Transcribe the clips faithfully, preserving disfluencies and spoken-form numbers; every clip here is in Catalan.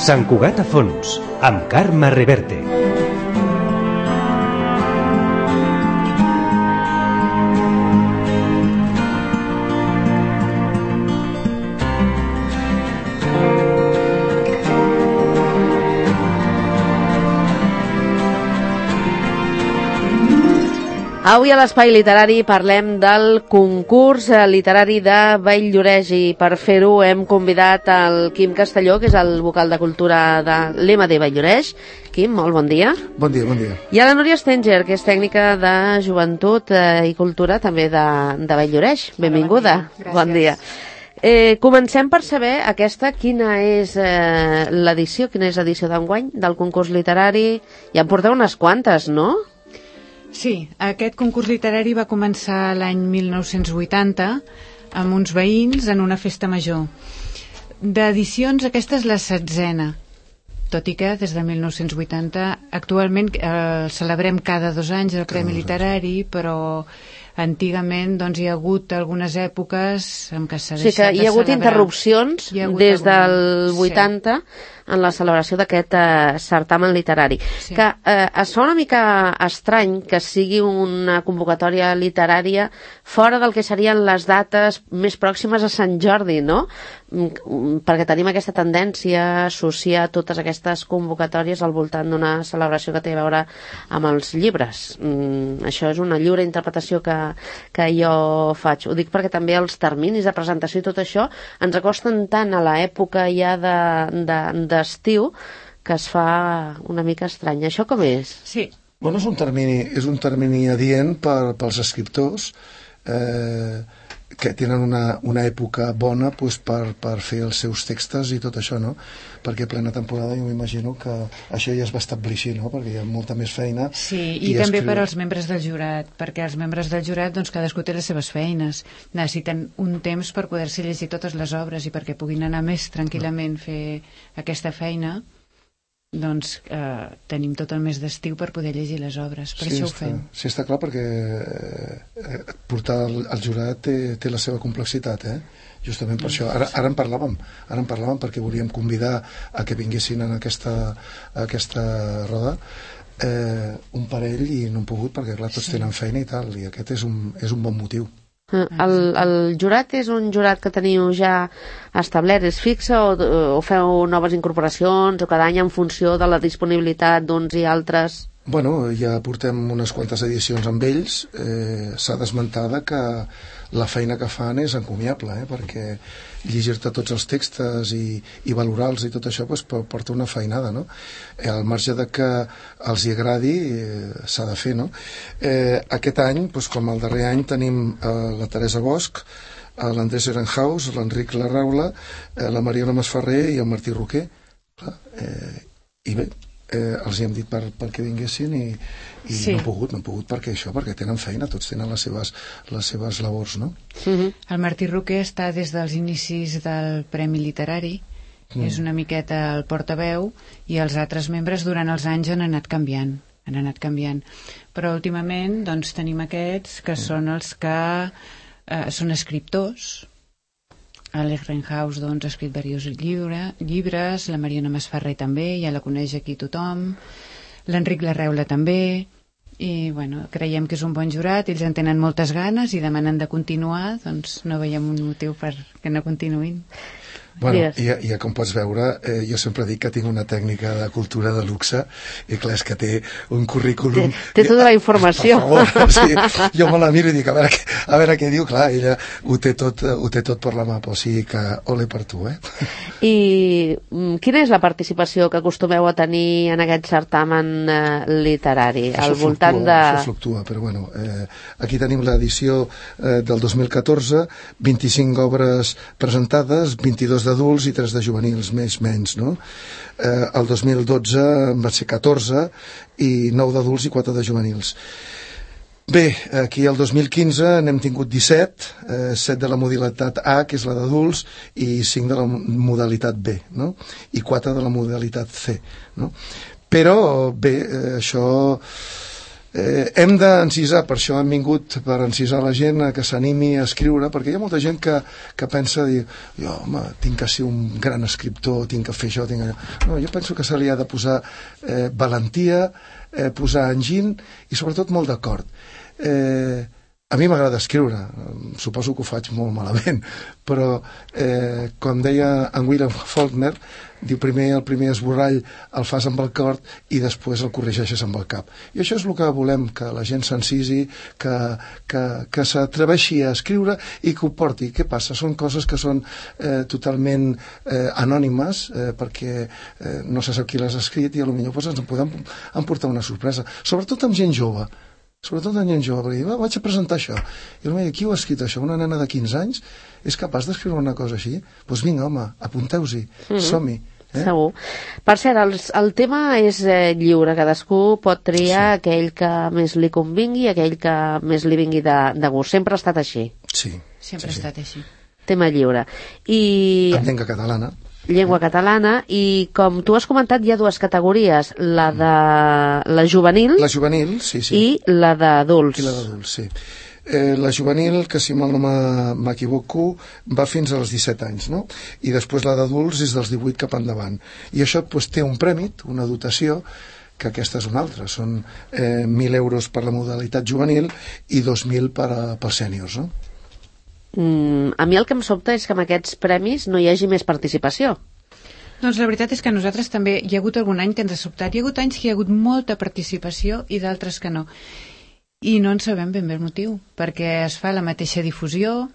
Sant Cugat a fons, amb Carme Reverte. Avui a l'Espai Literari parlem del concurs literari de Valldoreix i per fer-ho hem convidat el Quim Castelló, que és el vocal de cultura de l'E M D Valldoreix. Quim, molt bon dia. Bon dia, bon dia. I a la Núria Stenger, que és tècnica de joventut eh, i cultura també de, de Valldoreix. Benvinguda. Bon dia. Bon dia. Eh, comencem per saber aquesta, quina és eh, l'edició, quina és l'edició d'enguany del concurs literari. Ja en porteu unes quantes, no? Sí, aquest concurs literari va començar l'any mil nou-cents vuitanta amb uns veïns en una festa major. D'edicions, aquesta és la setzena, tot i que des de mil nou-cents vuitanta actualment eh, celebrem cada dos anys el Premi Literari, però antigament doncs, hi ha hagut algunes èpoques en què s'ha deixat de celebrar. O sigui que hi ha hagut interrupcions ha hagut des alguna... del vuitanta... Sí. En la celebració d'aquest eh, certamen literari. Sí. Que eh, es fa una mica estrany que sigui una convocatòria literària fora del que serien les dates més pròximes a Sant Jordi, no? Perquè tenim aquesta tendència a associar totes aquestes convocatòries al voltant d'una celebració que té a veure amb els llibres. Mm, això és una lliure interpretació que, que jo faig. Ho dic perquè també els terminis de presentació i tot això ens acosten tant a l'època ja de, de, d'estiu que es fa una mica estrany. Això com és? Sí. Bueno, és un termini, és un termini adient per, pels escriptors eh, que tenen una, una època bona pues, per, per fer els seus textos i tot això, no? Perquè plena temporada jo m'imagino que això ja es va establir així, no? Perquè hi ha molta més feina. Sí, i, i també escriure... per als membres del jurat, perquè els membres del jurat doncs, cadascú té les seves feines. Necessiten un temps per poder-se llegir totes les obres i perquè puguin anar més tranquil·lament a fer aquesta feina. Doncs eh, tenim tot el mes d'estiu per poder llegir les obres, per sí, això està, ho fem. Sí, està clar, perquè eh, portar el, el jurat té, té la seva complexitat, eh? Justament per això. Ara, ara en parlàvem, ara en parlàvem perquè volíem convidar a que vinguessin en aquesta, a aquesta roda eh, un parell i no han pogut perquè clar, tots sí. tenen feina i tal, i aquest és un, és un bon motiu. El, el jurat és un jurat que teniu ja establert, és fixe o, o feu noves incorporacions o cada any en funció de la disponibilitat d'uns i altres? Bueno, ja portem unes quantes edicions amb ells, eh, s'ha d'esmentar que la feina que fan és encomiable, eh, perquè llegir-te tots els textos i, i valorar-los i tot això pues, porta una feinada, no? Eh, al marge de que els hi agradi eh, s'ha de fer, no? Eh, aquest any, pues, com el darrer any, tenim eh, la Teresa Bosch, eh, l'Andrés Ehrenhaus, l'Enric Larraula, eh, la Mariona Masferrer i el Martí Roquer. Clar, eh, i bé, eh, els hi hem dit per, perquè vinguessin i, i sí. no han pogut, no han pogut perquè això, perquè tenen feina, tots tenen les seves, les seves labors, no? Mm-hmm. El Martí Roquer està des dels inicis del Premi Literari, mm. és una miqueta el portaveu i els altres membres durant els anys han anat canviant, han anat canviant. Però últimament doncs tenim aquests que mm. són els que eh, són escriptors. L'Ehrenhaus doncs, ha escrit diversos llibre, llibres, la Mariona Masferrer també, ja la coneix aquí tothom, l'Enric Larraula també, i bueno, creiem que és un bon jurat, ells en tenen moltes ganes i demanen de continuar, doncs no veiem un motiu per que no continuïn. Bueno, i, i com pots veure, eh, jo sempre dic que tinc una tècnica de cultura de luxe i clar, és que té un currículum... Té, té tota la informació. Per favor, o sigui, jo me la miro i dic, a veure, a veure què diu, clar, ella ho té tot, ho té tot per la mà, o sigui que ole per tu, eh? I quina és la participació que acostumeu a tenir en aquest certamen eh, literari? Això al voltant fluctua, de... això fluctua, però bueno, eh, aquí tenim l'edició eh, del dos mil catorze, vint-i-cinc obres presentades, vint-i-dos d'adults i tres de juvenils, més menys, no? Eh, el dos mil dotze va ser catorze i nou d'adults i quatre de juvenils. Bé, aquí el dos mil quinze n'hem tingut disset, eh, set de la modalitat A, que és la d'adults, i cinc de la modalitat B, no? I quatre de la modalitat C, no? Però, bé, eh, això Eh, hem d'encisar, per això hem vingut per encisar la gent a que s'animi a escriure, perquè hi ha molta gent que, que pensa dir, jo, home, tinc que ser un gran escriptor, tinc que fer això, tinc allò. No, jo penso que se li ha de posar eh, valentia, eh, posar enginy i sobretot molt d'acord. Eh, a mi m'agrada escriure, suposo que ho faig molt malament, però eh, com deia en William Faulkner, diu primer el primer esborrall el fas amb el cor i després el corregeixes amb el cap. I això és el que volem, que la gent s'encisi, que, que, que s'atreveixi a escriure i que ho porti. Què passa? Són coses que són eh, totalment eh, anònimes eh, perquè eh, no se sap qui les ha escrit i potser pues, ens en podem emportar una sorpresa. Sobretot amb gent jove. Sobretot en gent jove, perquè vaig a presentar això. I el qui ho ha escrit això? Una nena de quinze anys és capaç d'escriure una cosa així? Doncs pues vinga, home, apunteu-s'hi, mm-hmm. som-hi. Eh? Segur. Per cert, el, el tema és eh, lliure, cadascú pot triar sí. aquell que més li convingui, aquell que més li vingui de, de gust. Sempre ha estat així. Sí. Sempre sí, ha estat sí. així. Tema lliure. I... En llengua catalana. Llengua catalana, i com tu has comentat hi ha dues categories, la de la juvenil, la juvenil sí, sí. i la d'adults. I la d'adults, sí. Eh, la juvenil, que si mal no m'equivoco, va fins als disset anys, no? I després la d'adults és dels divuit cap endavant. I això pues, té un prèmit, una dotació, que aquesta és una altra. Són eh, mil euros per la modalitat juvenil i dos mil per a, pels sèniors, no? Mm, a mi el que em sobta és que amb aquests premis no hi hagi més participació. Doncs la veritat és que a nosaltres també hi ha hagut algun any que ens ha sobtat. Hi ha hagut anys que hi ha hagut molta participació i d'altres que no. I no en sabem ben bé el motiu, perquè es fa la mateixa difusió,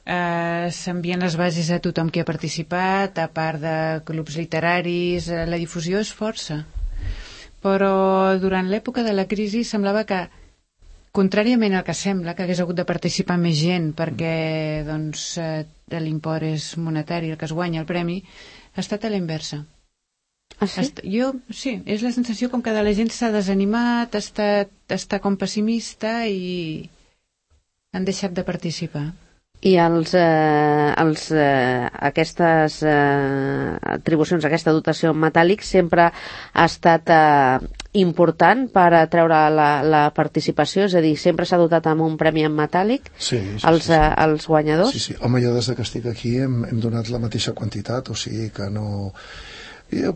eh, s'envien les bases a tothom que ha participat, a part de clubs literaris, eh, la difusió és força. Però durant l'època de la crisi semblava que, contràriament al que sembla, que hagués hagut de participar més gent perquè doncs, eh, l'import és monetari, el que es guanya el premi, ha estat a la inversa. Ah, sí? Est jo, sí, és la sensació com que de la gent s'ha desanimat, està, està com pessimista i han deixat de participar. I els, eh, els, eh, aquestes eh, atribucions, aquesta dotació en metàl·lic sempre ha estat eh, important per atreure la, la participació, és a dir, sempre s'ha dotat amb un premi en metàl·lic sí, sí, als, sí, sí. Eh, als guanyadors? Sí, sí. Home, jo des que estic aquí hem, hem donat la mateixa quantitat, o sigui que no...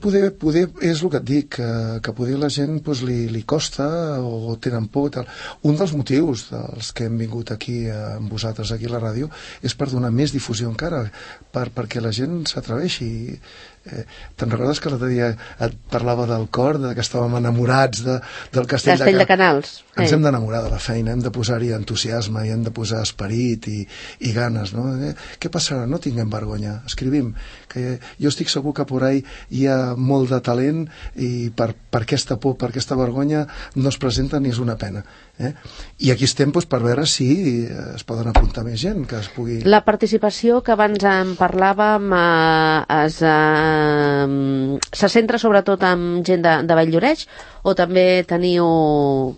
Poder, poder, és el que et dic, que, que poder la gent pues, li, li costa o tenen por. Tal. Un dels motius dels que hem vingut aquí amb vosaltres, aquí a la ràdio, és per donar més difusió encara, per, perquè la gent s'atreveixi. Eh, te'n recordes que l'altre dia et parlava del cor, de que estàvem enamorats de, del Castell, Castell de, de Canals? Ens sí. hem d'enamorar de la feina, hem de posar-hi entusiasme i hem de posar esperit i, i ganes, no? Eh, què passarà? No tinguem vergonya, escrivim, que jo estic segur que por ahí hi ha molt de talent i per, per aquesta por, per aquesta vergonya no es presenta ni és una pena. Eh? I aquí estem doncs, per veure si es poden apuntar més gent que es pugui... La participació que abans en parlàvem eh, es, eh, se centra sobretot en gent de, de Valldoreix o també teniu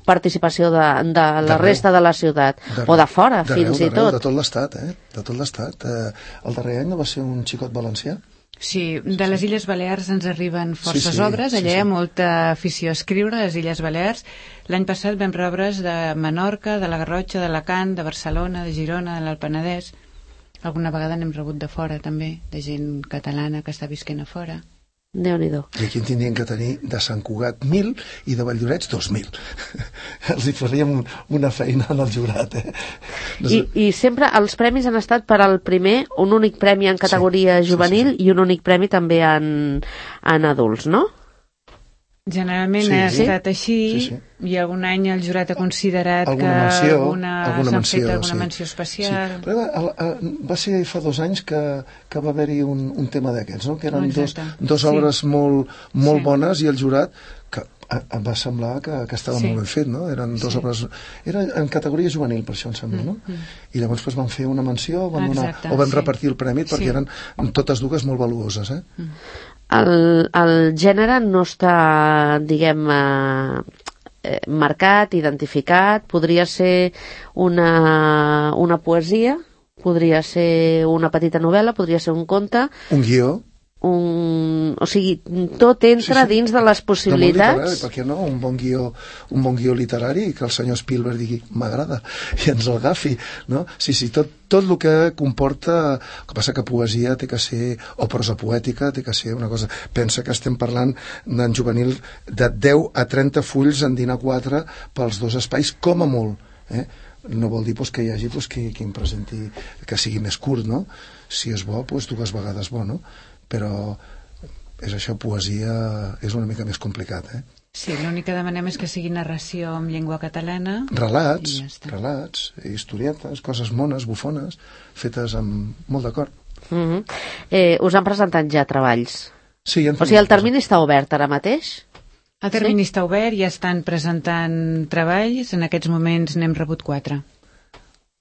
participació de, de la D'arreu. Resta de la ciutat o de fora fins i tot? De tot l'estat, eh? De tot l'estat. Eh, el darrer any no va ser un xicot valencià? Sí, de les Illes Balears ens arriben forces sí, sí, obres, allà sí, sí. hi ha molta afició a escriure a les Illes Balears. L'any passat vam rebre obres de Menorca, de la Garrotxa, d'Alacant, de Barcelona, de Girona, de l'Alt Penedès. Alguna vegada n'hem rebut de fora també, de gent catalana que està visquent a fora. Déu-n'hi-do. I aquí en tindrien que tenir de Sant Cugat mil i de Valldoreix dos mil. Els hi faríem un, una feina en el jurat, eh? I, I sempre els premis han estat per al primer, un únic premi en categoria sí, juvenil sí, sí. i un únic premi també en, en adults, no? Generalment sí, ha sí. estat així sí, sí. i algun any el jurat ha considerat alguna que menció, alguna, alguna s'han menció, fet alguna sí. menció especial. Sí. Però va, va ser fa dos anys que, que va haver-hi un, un tema d'aquests, no? Que eren oh, dos, dos obres sí. molt, molt sí. bones i el jurat que em va semblar que, que estava sí. molt ben fet, no? Eren dos sí. obres... Era en categoria juvenil, per això em sembla, no? Mm, mm. I llavors pues, van fer una menció van donar, o van sí. repartir el premi perquè sí. eren totes dues molt valuoses, eh? Mm. El, el gènere no està, diguem, eh, marcat, identificat. Podria ser una, una poesia, podria ser una petita novel·la, podria ser un conte. Un guió. un... o sigui, tot entra sí, sí. dins de les possibilitats. Per què no? Un bon guió, un bon guió literari que el senyor Spielberg digui m'agrada i ens el agafi, no? Sí, sí, tot, tot el que comporta, el que passa que poesia té que ser, o prosa poètica té que ser una cosa, pensa que estem parlant d'en juvenil de deu a trenta fulls en dinar quatre pels dos espais, com a molt, eh? No vol dir pues, que hi hagi pues, qui, qui em presenti que sigui més curt, no? Si és bo, pues, dues vegades bo, no? Però és això, poesia és una mica més complicat, eh? Sí, l'únic que demanem és que sigui narració en llengua catalana. Relats, ja relats, historietes, coses mones, bufones, fetes amb molt d'acord. Mm-hmm. eh, us han presentat ja treballs? Sí, ja o sigui, el termini està obert ara mateix? El termini sí? està obert, ja estan presentant treballs, en aquests moments n'hem rebut quatre.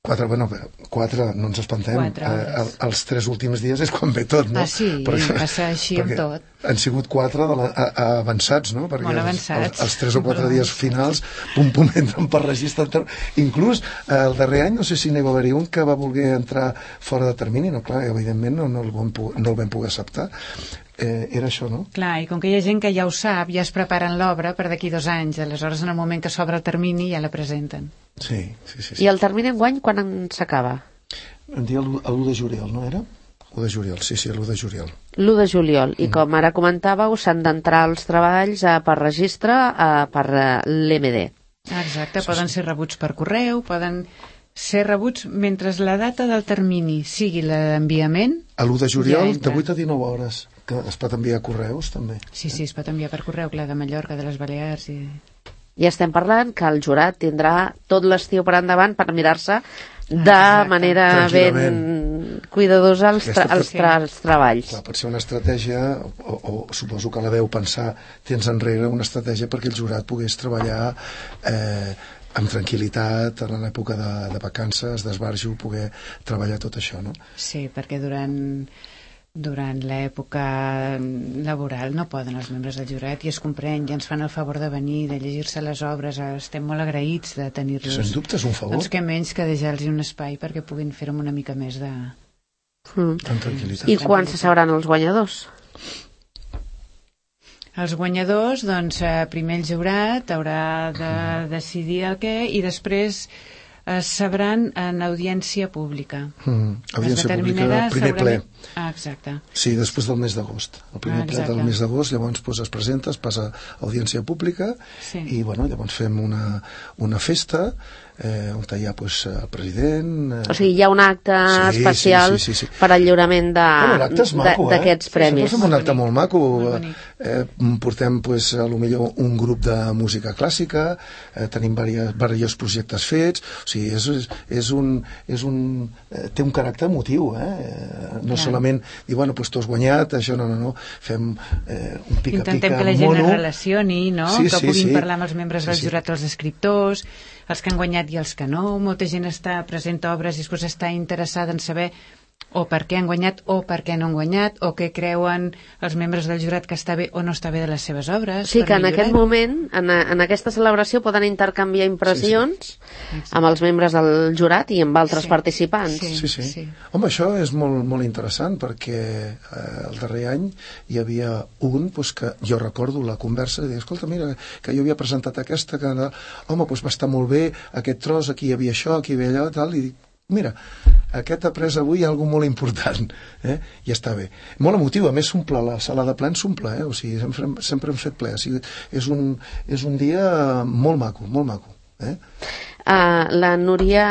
Quatre, bueno, quatre, no ens espantem. Eh, els tres últims dies és quan ve tot, no? Ah, sí, perquè, passa així amb tot. Han sigut quatre de la, a, a avançats, no? Perquè molt avançats. Els, els tres o quatre dies finals, pum, pum, entren per registre. Inclús eh, el darrer any, no sé si n'hi va haver un que va voler entrar fora de termini, no, clar, evidentment no, no, el, vam, no el vam poder acceptar. Eh, era això, no? Clar, i com que hi ha gent que ja ho sap, ja es preparen l'obra per d'aquí dos anys, aleshores en el moment que s'obre el termini ja la presenten. Sí, sí, sí. sí. I el termini enguany quan s'acaba? Em dia l'u de juliol, no era? l'u de juliol, sí, sí, l'u de juliol. l'u de juliol, i mm. com ara comentàveu, s'han d'entrar els treballs eh, per registre eh, per eh, l'E M D. Exacte, poden ser rebuts per correu, poden ser rebuts mentre la data del termini sigui l'enviament. A l'u de juliol, ja de vuit a dinou hores. Que es pot enviar correus, també. Sí, sí, es pot enviar per correu, clar, de Mallorca, de les Balears i... I estem parlant que el jurat tindrà tot l'estiu per endavant per mirar-se de Exacte. manera ben cuidadosa els, tra els, tra els treballs. Clar, pot ser una estratègia, o, o suposo que la veu pensar temps enrere, una estratègia perquè el jurat pogués treballar eh, amb tranquil·litat en l'època de, de vacances, d'esbarjo, poder treballar tot això, no? Sí, perquè durant... durant l'època laboral no poden els membres del jurat i es comprèn, ja ens fan el favor de venir, de llegir-se les obres, estem molt agraïts de tenir-los. Sens dubte és un favor. Doncs que menys que deixar-los un espai perquè puguin fer-ho amb una mica més de... Mm. Amb tranquil·litat. I quan se sabran els guanyadors? Els guanyadors, doncs, primer el jurat haurà de decidir el què i després es sabran en audiència pública. Mm, audiència pública, el primer ple. Ah, exacte. Sí, després del mes d'agost. El primer ah, ple del mes d'agost, llavors pues, es presenta, es passa a audiència pública sí. i bueno, llavors fem una, una festa eh, on hi ha pues, el president... Eh... O sigui, hi ha un acte sí, especial sí, sí, sí, sí. per al lliurament d'aquests bueno, eh? premis. Sí, fem un acte molt maco. Eh, portem pues, a lo millor un grup de música clàssica, eh, tenim diversos projectes fets, o sigui, és, és un, és un, eh, té un caràcter emotiu, eh? no Clar. solament dir, bueno, pues, tu has guanyat, això no, no, no, fem eh, un pica-pica intentem que la gent mono. es relacioni, no? Sí, que sí, puguin sí. parlar amb els membres sí, del jurat, sí. els escriptors, els que han guanyat i els que no. Molta gent està presenta obres i després està interessada en saber o per què han guanyat o per què no han guanyat o què creuen els membres del jurat que està bé o no està bé de les seves obres. Sí, que en aquest moment, en, en aquesta celebració poden intercanviar impressions sí, sí. amb els membres del jurat i amb altres sí. participants. Sí, sí, sí. sí. Home, això és molt, molt interessant perquè eh, el darrer any hi havia un pues, que jo recordo la conversa i deia, escolta, mira, que jo havia presentat aquesta, que home, pues, va estar molt bé, aquest tros, aquí hi havia això, aquí hi havia allò, tal, i dic, mira, aquest ha pres avui alguna molt important, eh? I està bé. Molt emotiu, a més s'omple, la sala de plens s'omple, eh? O sigui, sempre, sempre hem fet ple, o sigui, és un, és un dia molt maco, molt maco, eh? Uh, la Núria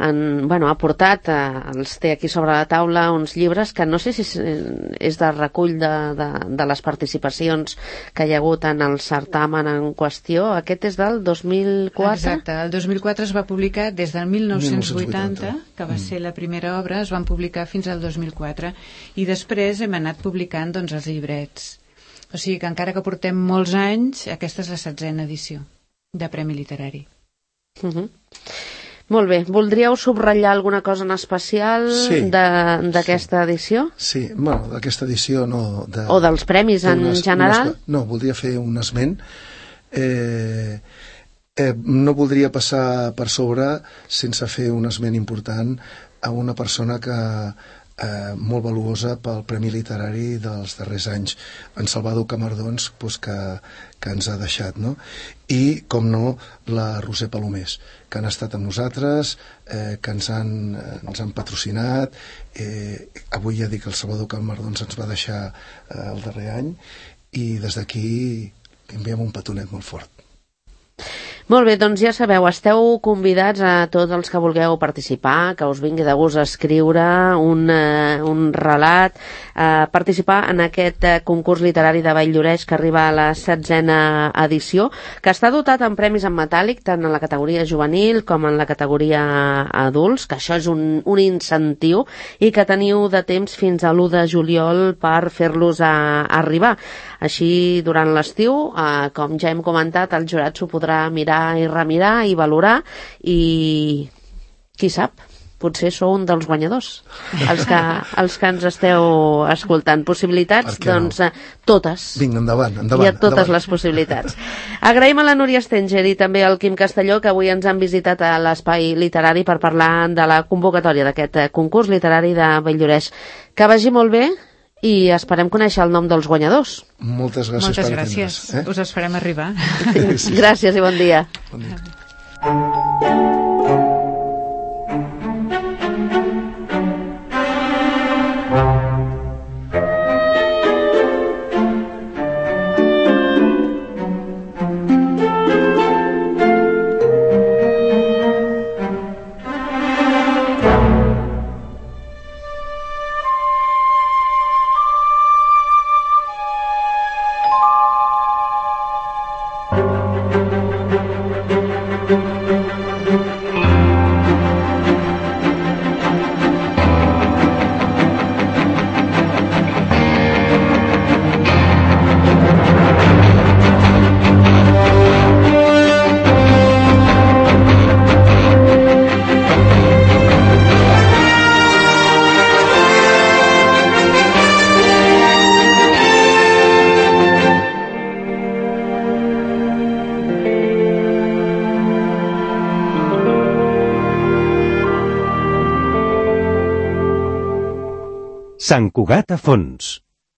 en, bueno, ha portat, uh, els té aquí sobre la taula uns llibres que no sé si és de recull de, de, de les participacions que hi ha hagut en el certamen en qüestió. Aquest és del dos mil quatre? Exacte, el dos mil quatre es va publicar des del mil nou-cents vuitanta, que va mm. ser la primera obra, es van publicar fins al dos mil quatre i després hem anat publicant doncs, els llibrets. O sigui que encara que portem molts anys, aquesta és la setzena edició de Premi Literari. Uh -huh. Molt bé, voldríeu subratllar alguna cosa en especial sí, d'aquesta sí. edició? Sí, bueno, d'aquesta edició no... De, o dels premis en unes, general? Unes, no, voldria fer un esment. Eh, eh, no voldria passar per sobre sense fer un esment important a una persona que eh, molt valuosa pel Premi Literari dels darrers anys, en Salvador Camardons, doncs, que, que ens ha deixat, no? I, com no, la Roser Palomés, que han estat amb nosaltres, eh, que ens han, eh, ens han patrocinat. Eh, avui ja dic que el Salvador Camardons ens va deixar eh, el darrer any, i des d'aquí enviem un petonet molt fort. Molt bé, doncs ja sabeu, esteu convidats a tots els que vulgueu participar, que us vingui de gust a escriure un, eh, un relat, eh, participar en aquest eh, concurs literari de Vall-lloreix que arriba a la setzena edició, que està dotat amb premis en metàl·lic, tant en la categoria juvenil com en la categoria adults, que això és un, un incentiu i que teniu de temps fins a l'u de juliol per fer-los a, a arribar. Així, durant l'estiu, eh, com ja hem comentat, el jurat s'ho podrà mirar i remirar i valorar, i qui sap, potser sou un dels guanyadors, els que, els que ens esteu escoltant. Possibilitats, doncs, no? Totes. Vinga, endavant, endavant. Hi ha totes endavant. Les possibilitats. Agraïm a la Núria Stenger i també al Quim Castelló, que avui ens han visitat a l'Espai Literari per parlar de la convocatòria d'aquest concurs literari de Vall-lloreix. Que vagi molt bé i esperem conèixer el nom dels guanyadors. Moltes gràcies. Moltes gràcies. Eh? Us els farem arribar. Sí. Gràcies i bon dia. Bon dia. Sant Cugat a fons.